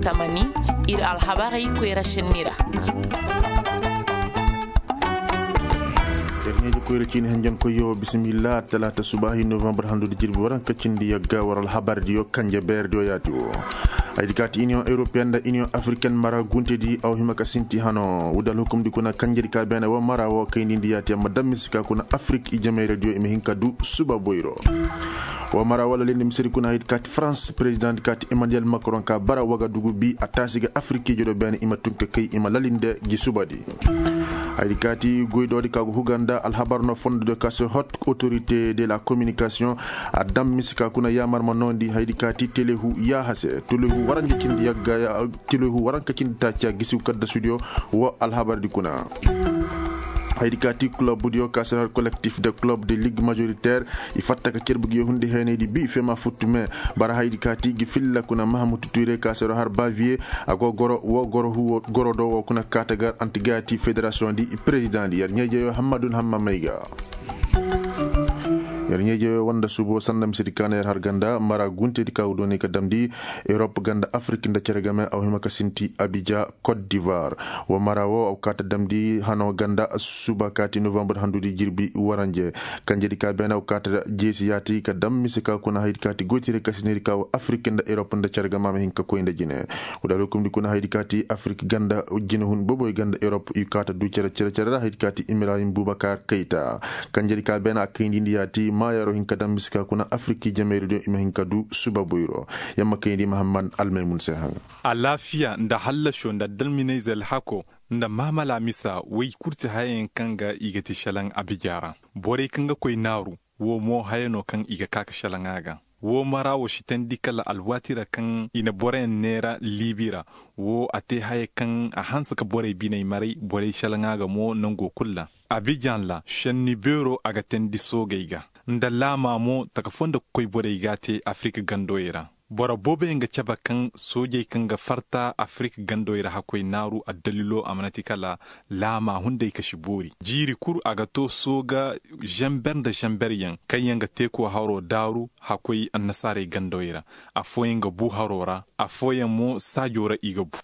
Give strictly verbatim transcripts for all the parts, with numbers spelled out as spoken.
Tamani, ir alhabarey koyra šenni ra. Yer ɲeeji koyra ciini henjen koyyo bisimilla talaata subaahi novembar handudi jirbi waranka cindi yagga war alhabardiyo kanje beerdiyo yaati wo. Haydi kaati iniyoŋ europeyen nda iniyoŋ afriken mara guntedi aw hima ka sinti hano wudal hukumdi kuna kanjedi ka beene wo mara wo kaynindi yaati amma dammisi ka kuna afrik i jamayradiyo i ma hin ka du suba boyro. Wa mara wala lendi misiri kuna haydi kaati farans president kaati emmanuel macron ka bara waga dugu bi a taasi ga afrikiijo do beene i ma tun ka kay i ma lalinde gi subadi. Haydi kaati goydoodi ka go huga nda alhabar no fondo de kase hot autorité de la communication a dam misi ka kuna yaamar ma noondi haydi kaati telehu yaahase telehu waranja cindi yagga telehu waranka cindi taaci a gisiw kadda sudiyo. Wa alhabardi kuna haydi kaati club diyo ka seno har collectif de club de ligue majoritaire i fatta ka cerbu gi hundi heenaydi bi fema futtu me bara haydi kaati gi filla kuna mahamutu ture ka seno har bavier a go goro wo goro huwo goro do wo kuna kaata gar anti gaati fédération di président di yer ɲeejeyo hammadun hamma may ga. Yer ɲeejeyo wanda subo sanda misedi kaana yer har ganda mara guntedi ka go dooni ka damndi europe ganda afrik nda cere game aw hima ka sinti abidja côte d'ivoire. Wa mara wo aw kaata damndi hano ganda suba kaati novembre handudi jirbi waranje kanjedi ka beene aw kaata jeesi yaati ka dam mise ka kuna haydi kaati goytire ka sinedi ka wa afrik nda europe nda cere game a ma hin ka koy nda jine. Wudal hukumdi kuna haydi kaati afrik ganda jine hun boboy ganda europe i kaata du cere cere cere ra haydi kaati ibrahim bubakar kayta. Kanjedi ka beene a kayndi nda yaati maayaro hin ka dam mise ka kuna afrik i jamayri do i ma hin ka du suba boyro. Yamma kayndi mahammad almaymun se haŋa. Alaafiya nda hallasho nda dalminayze alhako nda maamala misa woy kul ti hayayaŋ kaŋ ga i ga ti šelaŋ abija ra. Borey kaŋ ga koy naaru, wo mo haya no kaŋ i ga ka ka šelaŋ a ga. Wo mara wo si teendi kala alwaati ra kaŋ i na boroyaŋ neera liibi ra. Wo a te haya kaŋ a hanse ka borey biney maray borey šelaŋ a ga mo nango kul ra. Abijan ra šenni beero a ga teendi soogey ga, nda laama mo taka foo nda koy borey ga a te afirik gandowey ra. Boro booboyaŋ ga cabe kaŋ soojey kaŋ ga farta afirik gandowey ra hakkoy naaru addalilo a mana ti kala laama hunday ka si boori jiiri kul a ga to sooga, zamber nda zamberyaŋ kaŋ yaŋ ga teeko haro daaru hakkoy annasaarey gandowey ra. Affooyaŋ ga bu haro ra, affooyaŋ mo saajo ra i ga bu.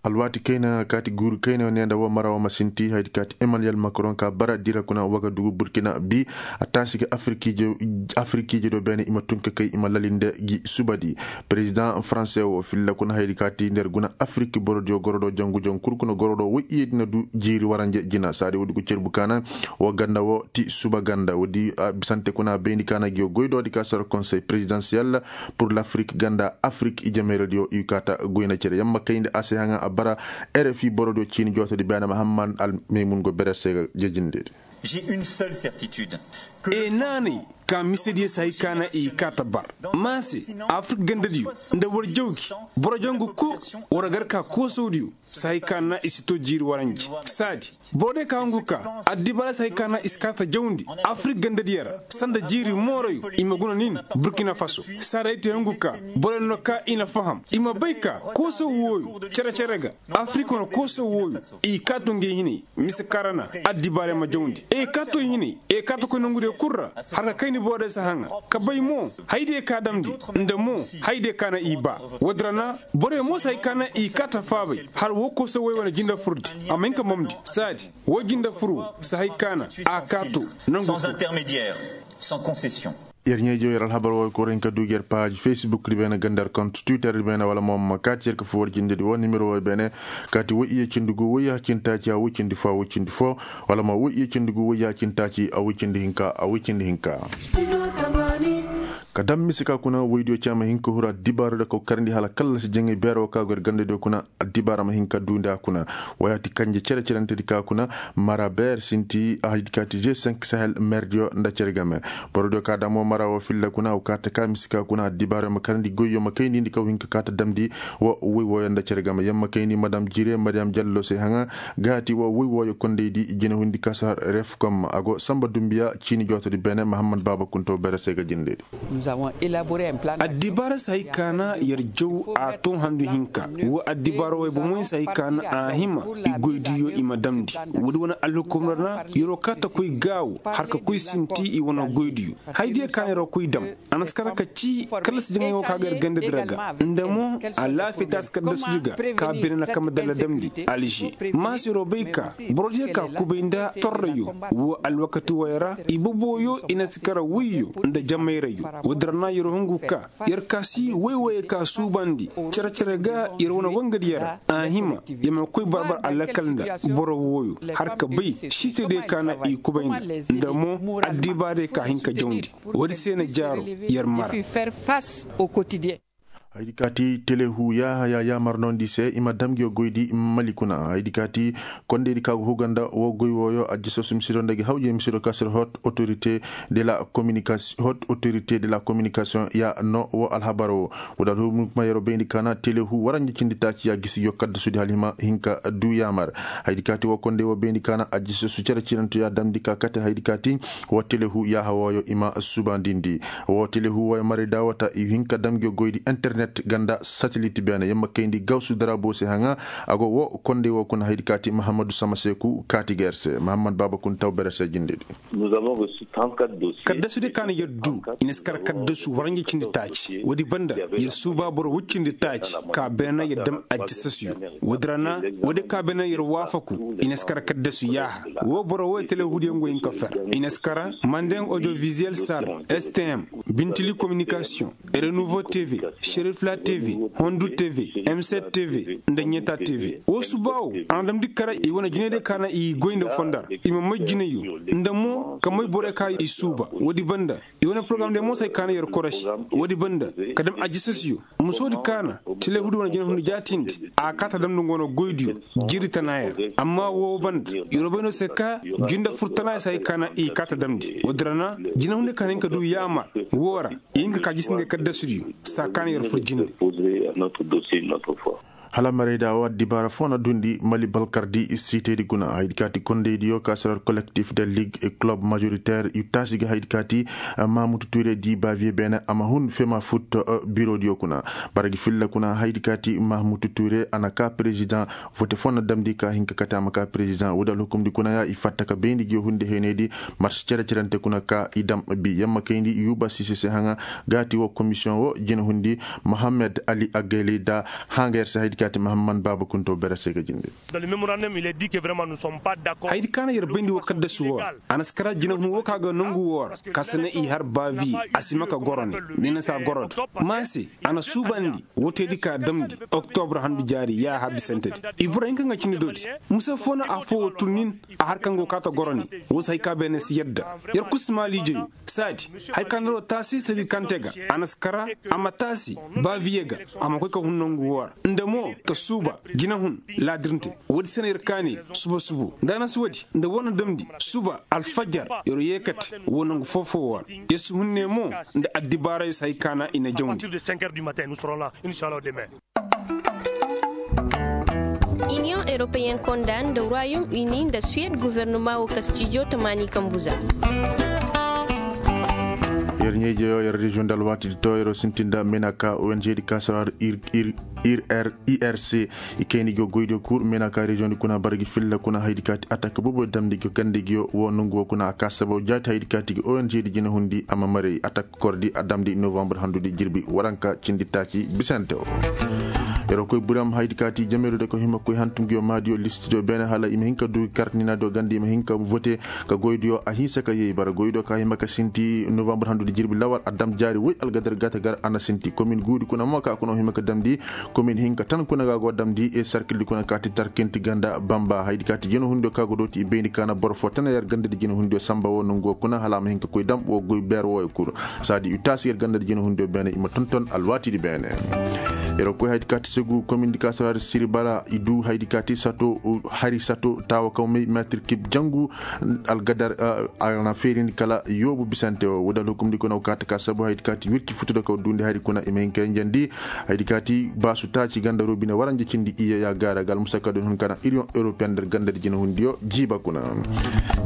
Alwaati kayna kaati guuru kayna ne nda wo mara wo ma sinti haydi kaati emmanuel macron ka bara dira kuna waga dugu burkina bi a taasi ga afirkiije do beene i ma tun ka kay i ma lalinde gi subadi. Perezidaŋ faranse wo filla kuna haydi kaati nder guna afirki borodiyo gorodo jangu jangu kul kuna gorodo woy iyedi na du jiiri waranje jina saadi woodi go cerbu kaana. Wo ganda wo ti suba ganda woodi bisante kuna bayndi kaana gi wo goydoodi ka sara konsey perezidansiyel pur lafrik ganda afrik i jameeradiyo i kaata goyna cere yamma kayndi a se haŋa a bara. Rfi borodiyo ciini jootodi beene mahammad almaymun go berer se ga jejindeedi. J'ai une seule certitude. E naanay ka misediyo si hay ka na i kaata bar, ma se afrik gandadiyo nda war jawgi boro jangu kul war gar ka koosawdiyo si hay ka na i si to jiiri waranji saadi. Boro day ka hungu ka addibaara si hay ka na i si kaata jawndi afirik gandadiyo ra sanda jiiri moorayo i ma guna nin burkina faso. Saara ay te hungu ka boro yaŋ no ka i na faham i ma bay ka kooso wooyo cere-cere ga afirik wane kooso wooyo i kaato ngey hinay mise kaŋ ra na addibaara yaŋ ma jawndi e kaato hinay e kaato koy nangu diyo kul ra. Har ka kayndi boro day si haŋa ka bay mo haydiyo ka damndi nda mo haydiyo ka na i ba. Woodin ra na boro yaŋ mo si hay ka na i kaata faabay har woo kooso wooyo wane jinde furdi a ma hin ka mamndi saadi. Woo jinde furu si hay ka na a kaato nangu kul. Yer ɲeejo yer alhabar wo koroyin ka duugi yer paaj facebook di beene ganda yer kont twitter di beene wala mo ma kaati yer ka foo war jinde di wo nimero wo beene. Kaati woy iye cindi gu woy ya cindi taaci a woy cindi foo a woy cindi foo wala mo woy iye cindi gu woy ya cindi taaci a woy cindi hinka a woy cindi hinka. Ka dam mise ka kuna woydiyo caama hinka huru addibaaro da ka karandi hala kallasi jaŋay beero ka go yer gandadiyo kuna. Addibaara ma hin ka duundi a kuna. Wayaati kanje cere-cerentedi ka kuna mara beer sinti a haydi kaati g cinq sahel merdiyo nda cere game. Borodiyo ka damo mara wo filla kuna aw kaata ka misi ka kuna addibaara ma karandi goyyo ma kayndi ndi kaw hin ka kaata damndi. Wo woy wooyo nda cere game yamma kayndi madam jire mariyam jallo se haŋa. Gaati wo woy wooyo kondaydi jina hundi kasa refkom a go samba dumbiya ciini jootodi beene mahammad baaba kunto bere se ga jindedi. Addibaara si hay ka na yer jaw a too handu hinka. Woo addibaara wey bomoy si hay ka na a hima i goydiyo i ma damndi. Woodi wane alhukumra na yer'o kaa ta koy gaawo har ka koy sinti i wane goydiyo. Haydiyo ka na yer'o koy dam a na si kar ka ci kala si jaŋay woo ka ga yer ganda dira ga. Nda mo alaafiya taasi kaddasudi ga ka bine na kama dalla damndi alže. Maasiroo bay ka borodiyo ka kubay nda torrayo. Woo alwakati wooyo ra ibobooyo i na si kar wayyo nda jamayrayo. Woodi ra na yer hungu ka yer kaasi way-wayey ka suubandi cere-cere ga yer wane wangadiyo ra. A hima yer ma koy barbar alakal nda boro wooyo har ka bay siisediyo ka na i kubay nda nda mo addibaarey ka hin ka jawndi. Woodi se na jaaro yer mara. Haydi kaati telehu yaaha ya yaamar noondi se i ma dam ngi goydi mali kuna. Haydi kaati kondeydi ka go huga nda woo goy wooyo ajjasoosu misido nda gi hawjey misido ka sir hot autorité de la communication hot autorité de la communication ya no woo alhabar woo. Woo da alhumma yeroo bayndi ka na telehu waranja cindi taaci ya gisi yo kaddasudi hala hima hinka du yaamar. Haydi kaati woo kondey woo bayndi ka na ajjasoosu cere ciranto ya damndi ka kate haydi kaati woo telehu yaaha wooyo i ma subandindi. Woo telehu wooyo maray daawata i hin ka dam ngi goydi internet ganda satelit beene yer ma kayndi gawsu daraabo se haŋa. A go woo kondey woo kuna haydi kaati mahammadu samaseeku kaati ga yer se mahammad baaba kun taw bere se jindedi. Kaddasudi ka na yer du i na si kar kaddasu waranja cindi taaci woodi banda yer suuba boro woy cindi taaci ka beene yer dam ajjasasuyo. Woodi ra na woodi ka beene yer waafaku i na si kar kaddasu yaaha. Woo boro wooyo telehudiyaŋ go hin ka fer i na si kar mandeŋ audiovisuel sar stm bintili communication renouveau tv sherifla tv hondu tv m sept tv nda ɲeta tv woo suuba woo a na damndi kara i wane jinediyo ka na i goy nda fondar i ma may jineyo nda mo ka may boroyo ka i suuba woodi banda i wane porogaram diyo mo si hay ka na yer korosi woodi banda ka dam ajisasiyo musoodi ka na telehudu wane jinehundu jaatindi a kaata damndi nga wane goydiyo jiiri tana yer amma woo banda yeroo bay no se ka jinde fur tana yer si hay ka na i kaata damndi woodi ra na jinehundu ka na hin ka du yaamar woo ra i hin ka ka jisindi kaddasudiyo saa ka na yer fur jinde. Hala marayda woo addibaara foo na duundi mali balkardi siitedi kuna haydi kaati kondeydiyo ka sara kolektif de ligue club majoritaire yu taasi ga haydi kaati mahamutu ture di baviye beene a ma hun fema fut birodiyo kuna bara gi filla kuna haydi kaati mahamutu ture a na ka perezidaŋ vote foo na damndi ka hin ka kate a ma ka perezidaŋ woodi alhukumdi kuna ya i fatta ka bayndi gi hundi heyneydi marsi cere-cerente kuna ka i dam bi yamma kayndi yuuba siise se haŋa gaati woo komisiyoŋ woo jinahundi mohammed ali agayli da hanga yer se haydi kaati mahamman baaba kunto bere se ga jinde. Haydi ka na yer bayndi woo kaddasu woo ra a na si kara jinahun woo ka ga nongu woo ra ka si ne i har baaviye a si ma ka goro ne ni na si a goro da maa se a na suubandi woo teedi ka damndi oktobre handu jaari yaaha bisantedi. Ibrahim kaŋ ga cindi dooti mise foo na affoo woo tun nin a har kaŋ go kaa ta goro ne woo si hay ka beene si yadda yer kul si maa liijeyo saadi hay ka na yer woo taasi sadi kaŋ te ga a na si kara a ma taasi baaviye ga a ma koy ka hun nongu woo ra nda mo ka suuba jinahun laadirnte woodi se na yer kaani suba subo nda a na si woodi nda woo na damndi suba alfajar yer woo yeekate woo nongu foo-foo woo ra yer si hun ne mo nda addibaarayo si hay ka na i na jawndi. Iniyoŋ europeyen konda nda royom uni nda suwed guvernoma woo ka studio tamaani kambuza. Yer ɲayjeyo yer reziyoŋ nda alwaatidi to yeroo sintin nda menaka ong di ka sara ir ir ir irc i kayndi gi woo goydiyo kul menaka reziyoŋdi kuna bara gi filla kuna haydi kaati atak bobo damndi gi woo ganda gi woo nongu woo kuna a ka sababu jaati haydi kaati gi ong di jinahundi a ma maray atak kordi a damndi novambre handudi jirbi waranka cindi taaci bisante woo. Yeroo koy buram haydi kaati jameeru de ko hima koy hantum gi woo maadiyo listidiyo beene hala i ma hin ka du kartinaadiyo ganda i ma hin ka vote ka goydiyo a hinsa ka yee bara goydiyo ka hima ka sinti novambre handudi jirbi lawar a dam jaari woy algadar gata gar a na sinti komin guudi kuna mo ka kuna hima ka damndi komin hinka tan kuna ga go damndi e sarkildi kuna kaati tarkinti ganda bamba haydi kaati jinahundi ka go dooti i bayndi ka na boro foo tana yer gandadi jinahundi samba woo nongu woo kuna hala a ma hin ka koy dam woo goy beer wooyo kul saadi i taasi yer gandadi jinahundi beene i ma tonton alwaatidi beene. Yeroo koy haydi kaati segu komin di ka sara siribara i du haydi ka ti sato hari sato taawa kaw may metir kib jangu. Algadar a na feerindi kala yoobu bisante wo wo da alhukumdi kuna wo kaati ka sabu haydi ka ti wirki futu da kaw duundi hari kuna i ma hin ka yanjandi. Haydi ka ti baasu taaci ganda roobine waranja cindi iyya ya gaara ga almusakka din hun kana iriyon european nda ganda di jinahundiyo jiiba kuna.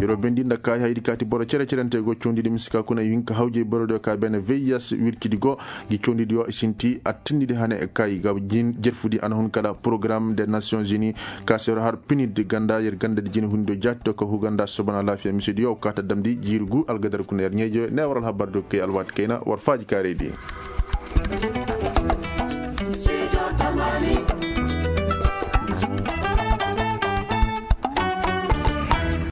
European di nda kaayi haydi ka ti boro cere-cerente go cawndi di misika kuna i hin ka hawjay borodiyo ka bene veiyas wirki di go. Gi cawndi di yo i sinti attindi di hane kaayi ga jin jerfu di a na hun kala porogaram de nations unis. Ka se yer har pinid ganda yer ganda di jini hundo jaati do ka huganda sobana laafiya mise di yo ka ta damndi jiiri gu algadar kuna yer ɲeejo ne war alhabar do kay alwaati kayna war faaji kaarey di.